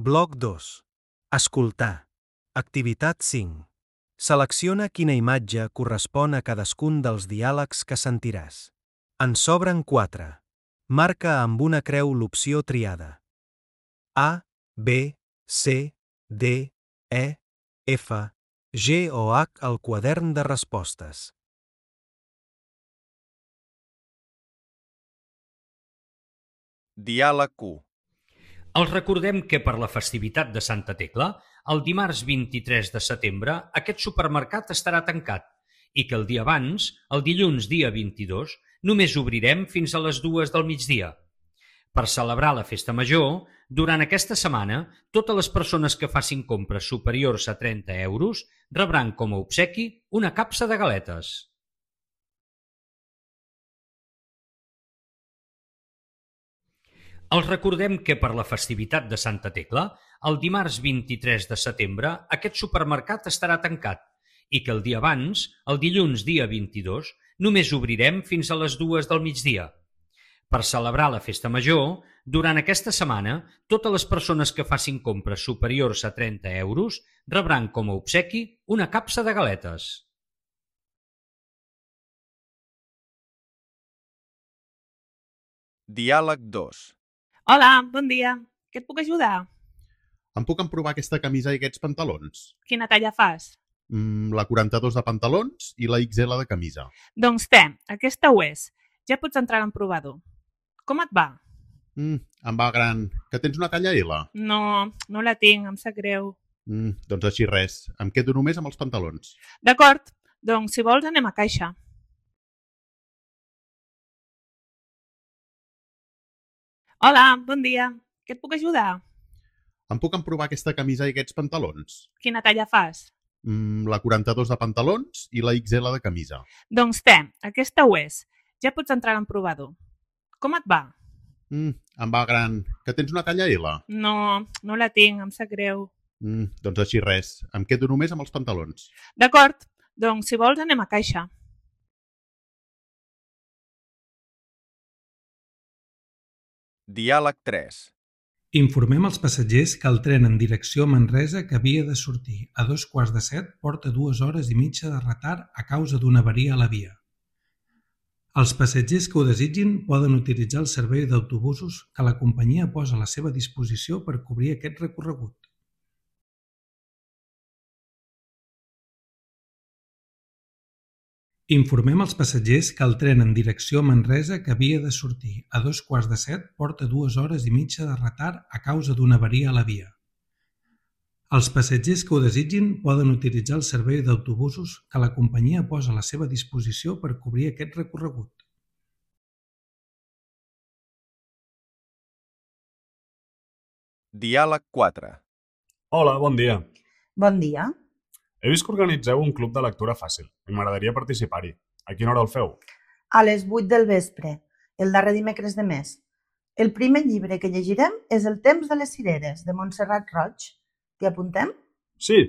Bloc 2. Escoltar. Activitat 5. Selecciona quina imatge correspon a cadascun dels diàlegs que sentiràs. En sobren 4. Marca amb una creu l'opció triada. A, B, C, D, E, F, G o H al quadern de respostes. Diàleg 1. Els recordem que per la festivitat de Santa Tecla, el dimarts 23 de setembre, aquest supermercat estarà tancat i que el dia abans, el dilluns dia 22, només obrirem fins a les 2 del migdia. Per celebrar la festa major, durant aquesta setmana, totes les persones que facin compres superiors a 30 euros rebran com a obsequi una capsa de galetes. Els recordem que per la festivitat de Santa Tecla, el dimarts 23 de setembre, aquest supermercat estarà tancat i que el dia abans, el dilluns dia 22, només obrirem fins a les 2 del migdia. Per celebrar la festa major, durant aquesta setmana, totes les persones que facin compres superiors a 30 euros rebran com a obsequi una capsa de galetes. Diàleg 2. Hola, bon dia. Què et puc ajudar? Em puc emprovar aquesta camisa i aquests pantalons? Quina talla fas? La 42 de pantalons i la XL de camisa. Doncs té, aquesta ho és. Ja pots entrar en provador. Com et va? Em va gran. Que tens una talla L? No la tinc, em sap greu. Doncs així res. Em quedo només amb els pantalons. D'acord, doncs si vols anem a caixa. Hola, bon dia. Què et puc ajudar? Em puc emprovar aquesta camisa i aquests pantalons? Quina talla fas? La 42 de pantalons i la XL de camisa. Doncs té, aquesta ho és. Ja pots entrar en provador. Com et va? Em va gran. Que tens una talla L? No la tinc, em sap greu. Doncs així res. Em quedo només amb els pantalons. D'acord, doncs si vols anem a caixa. Diàleg 3. Informem els passatgers que el tren en direcció a Manresa que havia de sortir a 6:45 porta 2 hores i mitja de retard a causa d'una avaria a la via. Els passatgers que ho desitgin poden utilitzar el servei d'autobusos que la companyia posa a la seva disposició per cobrir aquest recorregut. Informem els passatgers que el tren en direcció a Manresa que havia de sortir a 6:45 porta 2 hores i mitja de retard a causa d'una avaria a la via. Els passatgers que ho desitgin poden utilitzar el servei d'autobusos que la companyia posa a la seva disposició per cobrir aquest recorregut. Diàleg 4. Hola, bon dia. Bon dia. He vist que organitzeu un club de lectura fàcil i m'agradaria participar-hi. A quina hora el feu? A les 8 del vespre, el darrer dimecres de mes. El primer llibre que llegirem és El temps de les cireres, de Montserrat Roig. T'hi apuntem? Sí.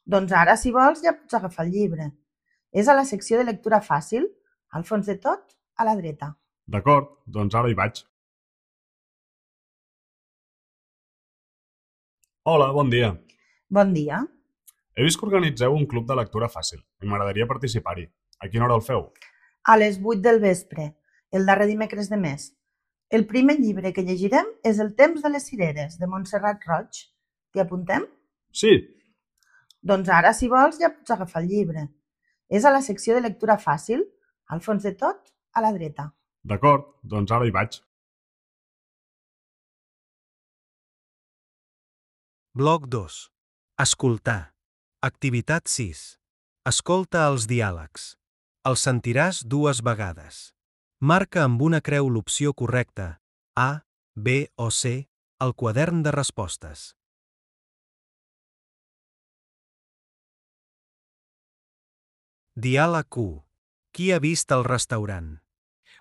Doncs ara, si vols, ja pots agafar el llibre. És a la secció de lectura fàcil, al fons de tot, a la dreta. D'acord, doncs ara hi vaig. Hola, bon dia. Bon dia. He vist que organitzeu un club de lectura fàcil i m'agradaria participar-hi. A quina hora el feu? A les 8 del vespre, el darrer dimecres de mes. El primer llibre que llegirem és El temps de les cireres, de Montserrat Roig. T'hi apuntem? Sí. Doncs ara, si vols, ja pots agafar el llibre. És a la secció de lectura fàcil, al fons de tot, a la dreta. D'acord, doncs ara hi vaig. Bloc 2. Escoltar. Activitat 6. Escolta els diàlegs. Els sentiràs 2 vegades. Marca amb una creu l'opció correcta, A, B o C, al quadern de respostes. Diàleg 1. Qui ha vist el restaurant?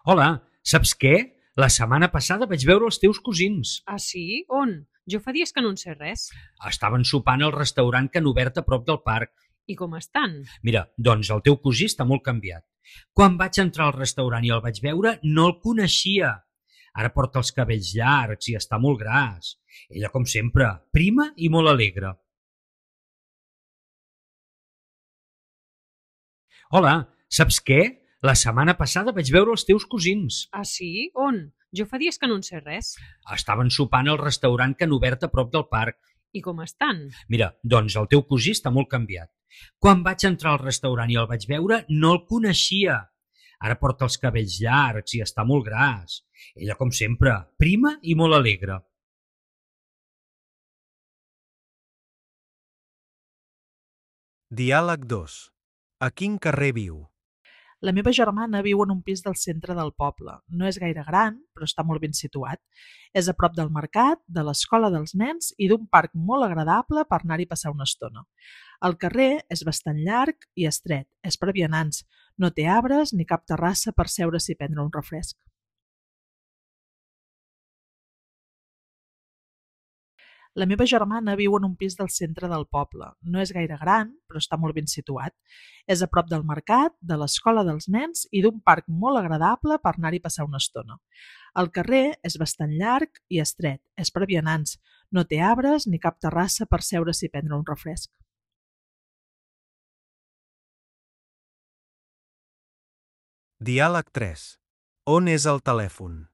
Hola, saps què? La setmana passada vaig veure els teus cosins. Ah, sí? On? Jo fa dies que no en sé res. Estaven sopant al restaurant que han obert a prop del parc. I com estan? Mira, doncs el teu cosí està molt canviat. Quan vaig entrar al restaurant i el vaig veure, no el coneixia. Ara porta els cabells llargs i està molt gras. Ella, com sempre, prima i molt alegre. Hola, saps què? La setmana passada vaig veure els teus cosins. Ah, sí? On? Jo fa dies que no en sé res. Estaven sopant al restaurant que han obert a prop del parc. I com estan? Mira, doncs el teu cosí està molt canviat. Quan vaig entrar al restaurant i el vaig veure, no el coneixia. Ara porta els cabells llargs i està molt gras. Ella, com sempre, prima i molt alegre. Diàleg 2. A quin carrer viu? La meva germana viu en un pis del centre del poble. No és gaire gran, però està molt ben situat. És a prop del mercat, de l'escola dels nens i d'un parc molt agradable per anar-hi a passar una estona. El carrer és bastant llarg i estret, és per vianants. No té arbres ni cap terrassa per seure's i prendre un refresc. La meva germana viu en un pis del centre del poble. No és gaire gran, però està molt ben situat. És a prop del mercat, de l'escola dels nens i d'un parc molt agradable per anar-hi a passar una estona. El carrer és bastant llarg i estret, és per vianants. No té arbres ni cap terrassa per seure's i prendre un refresc. Diàleg 3. On és el telèfon?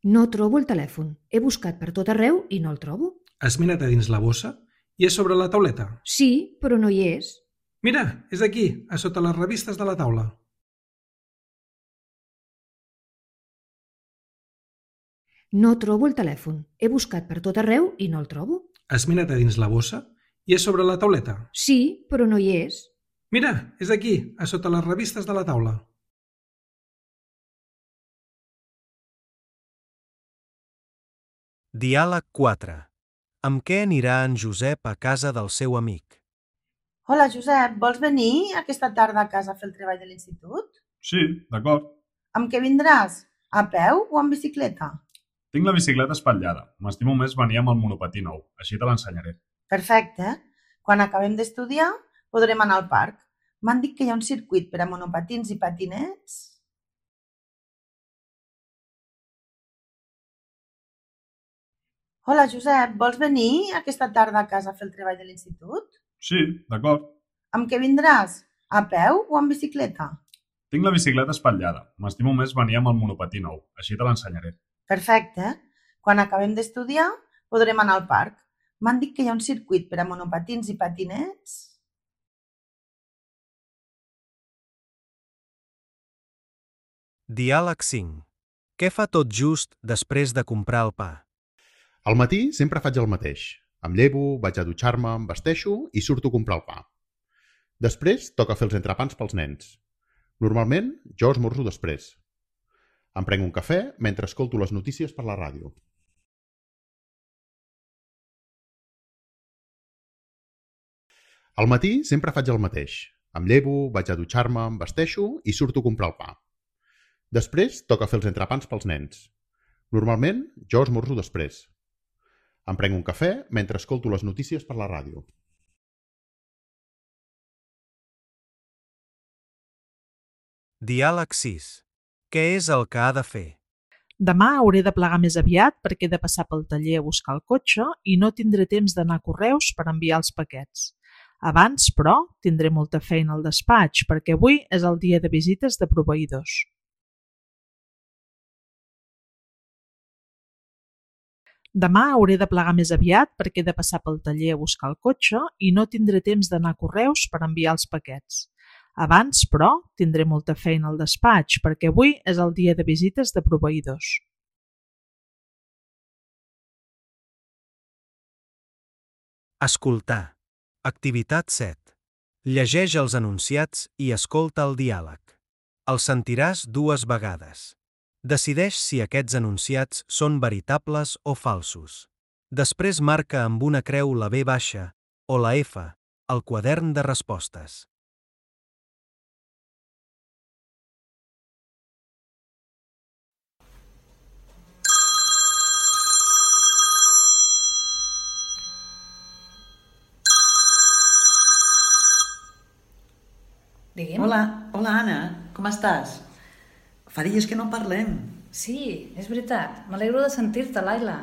No trobo el telèfon. He buscat per tot arreu i no el trobo. Has mirat a dins la bossa i és sobre la tauleta. Sí, però no hi és. Mira, és aquí, a sota les revistes de la taula. No trobo el telèfon. He buscat per tot arreu i no el trobo. Has mirat a dins la bossa i és sobre la tauleta. Sí, però no hi és. Mira, és aquí, a sota les revistes de la taula. Diàleg 4. Amb què anirà en Josep a casa del seu amic? Hola, Josep, vols venir aquesta tarda a casa a fer el treball de l'institut? Sí, d'acord. Amb què vindràs? A peu o amb bicicleta? Tinc la bicicleta espatllada. M'estimo més venir amb el monopatí nou. Així te l'ensenyaré. Perfecte. Quan acabem d'estudiar, podrem anar al parc. M'han dit que hi ha un circuit per a monopatins i patinets. Hola, Josep, vols venir aquesta tarda a casa a fer el treball de l'institut? Sí, d'acord. Amb què vindràs? A peu o amb bicicleta? Tinc la bicicleta espatllada. M'estimo més venir amb el monopatí nou. Així te l'ensenyaré. Perfecte. Quan acabem d'estudiar, podrem anar al parc. M'han dit que hi ha un circuit per a monopatins i patinets. Diàleg 5. Què fa tot just després de comprar el pa? Al matí sempre faig el mateix. Em llevo, vaig a dutxar-me, em vesteixo i surto a comprar el pa. Després toca fer els entrepans pels nens. Normalment jo esmorzo després. Em prenc un cafè mentre escolto les notícies per la ràdio. Al matí sempre faig el mateix. Em llevo, vaig a dutxar-me, em vesteixo i surto a comprar el pa. Després toca fer els entrepans pels nens. Normalment jo esmorzo després. Em prenc un cafè mentre escolto les notícies per la ràdio. Diàleg 6. Què és el que ha de fer? Demà hauré de plegar més aviat perquè he de passar pel taller a buscar el cotxe i no tindré temps d'anar a correus per enviar els paquets. Abans, però, tindré molta feina al despatx perquè avui és el dia de visites de proveïdors. Demà hauré de plegar més aviat perquè he de passar pel taller a buscar el cotxe i no tindré temps d'anar a correus per enviar els paquets. Abans, però, tindré molta feina al despatx perquè avui és el dia de visites de proveïdors. Escoltar. Activitat 7. Llegeix els enunciats i escolta el diàleg. El sentiràs 2 vegades. Decideix si aquests enunciats són veritables o falsos. Després marca amb una creu la B baixa o la F al quadern de respostes. Digue'm. Hola, Anna, com estàs? Fa dies que no parlem. Sí, és veritat. M'alegro de sentir-te, Laila.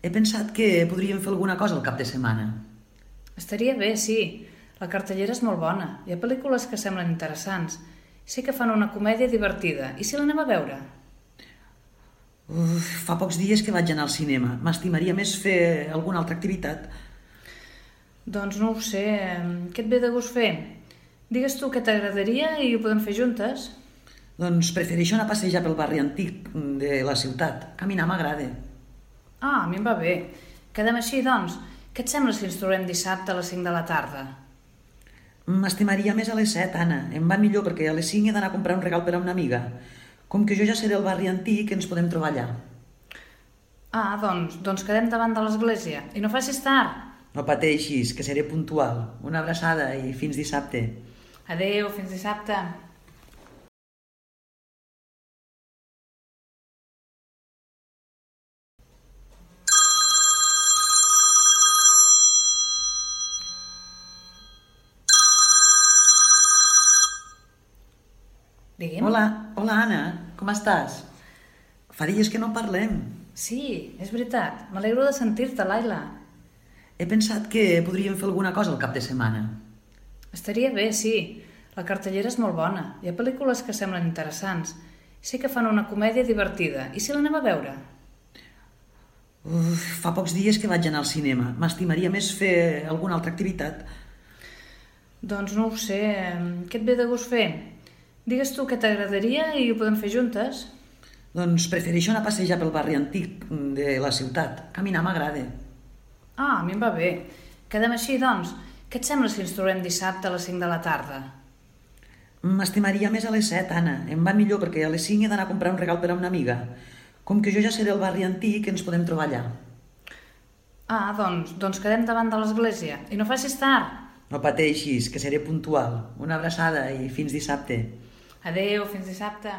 He pensat que podríem fer alguna cosa el cap de setmana. Estaria bé, sí. La cartellera és molt bona. Hi ha pel·lícules que semblen interessants. Sé que fan una comèdia divertida. I si l'anem a veure? Fa pocs dies que vaig anar al cinema. M'estimaria més fer alguna altra activitat. Doncs no ho sé. Què et ve de gust fer? Digues tu què t'agradaria i ho podem fer juntes. Doncs prefereixo anar a passejar pel barri antic de la ciutat. Caminar m'agrada. Ah, a mi em va bé. Quedem així, doncs. Què et sembla si ens trobem dissabte a les 5 de la tarda? M'estimaria més a les 7, Anna. Em va millor perquè a les 5 he d'anar a comprar un regal per a una amiga. Com que jo ja seré al barri antic, ens podem trobar allà. Ah, doncs quedem davant de l'església. I no facis tard. No pateixis, que seré puntual. Una abraçada i fins dissabte. Adéu, fins dissabte. Digue'm. Hola, Anna, com estàs? Fa dies que no parlem. Sí, és veritat. M'alegro de sentir-te, Laila. He pensat que podríem fer alguna cosa el cap de setmana. Estaria bé, sí. La cartellera és molt bona. Hi ha pel·lícules que semblen interessants. Sé que fan una comèdia divertida. I si l'anem a veure? Fa pocs dies que vaig anar al cinema. M'estimaria més fer alguna altra activitat. Doncs no ho sé. Què et ve de gust fer? Digues tu què t'agradaria i ho podem fer juntes. Doncs prefereixo anar a passejar pel barri antic de la ciutat. Caminar m'agrada. Ah, a mi em va bé. Quedem així, doncs. Què et sembla si ens trobem dissabte a les 5 de la tarda? M'estimaria més a les 7, Anna. Em va millor perquè a les 5 he d'anar a comprar un regal per a una amiga. Com que jo ja seré al barri antic, ens podem trobar allà. Ah, doncs quedem davant de l'església. I no facis tard. No pateixis, que seré puntual. Una abraçada i fins dissabte. Adéu, fins dissabte.